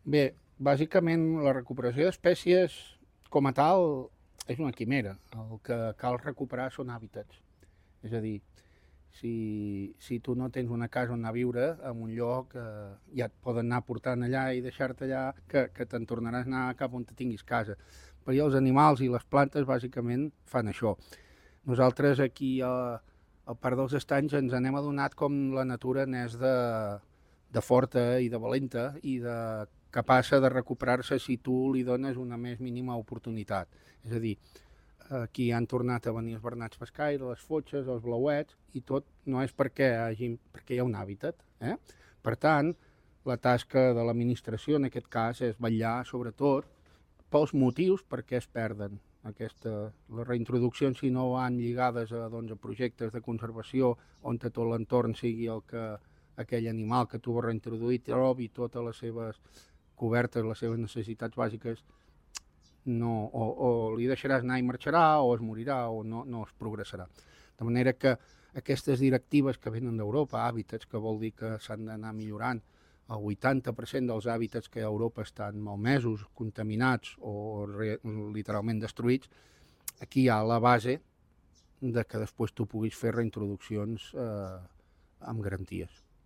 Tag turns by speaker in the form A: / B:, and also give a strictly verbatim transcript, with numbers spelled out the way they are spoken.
A: Bé, bàsicament la recuperació d'espècies com a tal és una quimera. El que cal recuperar són hàbitats. És a dir, si, si tu no tens una casa on anar a viure, en un lloc eh, ja et poden anar portant allà i deixar-te allà, que, que te'n tornaràs a anar cap on te tinguis casa. Però els animals i les plantes bàsicament fan això. Nosaltres aquí a, al Parc dels Estanys ens n'hem adonat com la natura n'és de, de forta i de valenta i de capaça de recuperar-se si tu li dones una més mínima oportunitat. És a dir, aquí han tornat a venir els bernats pescaires, les fotxes, els blauets, i tot no és perquè, hagi, perquè hi ha un hàbitat. Eh? Per tant, la tasca de l'administració en aquest cas és vetllar sobretot pels motius per què es perden. Aquesta, les reintroduccions, si no van lligades a, doncs, a projectes de conservació on tot l'entorn sigui el que aquell animal que tu vas reintroduir trobi totes les seves cobertes, les seves necessitats bàsiques, no, o, o li deixaràs anar i marxarà, o es morirà, o no, no es progressarà. De manera que aquestes directives que venen d'Europa, hàbitats, que vol dir que s'han d'anar millorant, el vuitanta per cent dels hàbitats que a Europa estan malmesos, contaminats o re, literalment destruïts, aquí hi ha la base de que després tu puguis fer reintroduccions eh, amb garanties.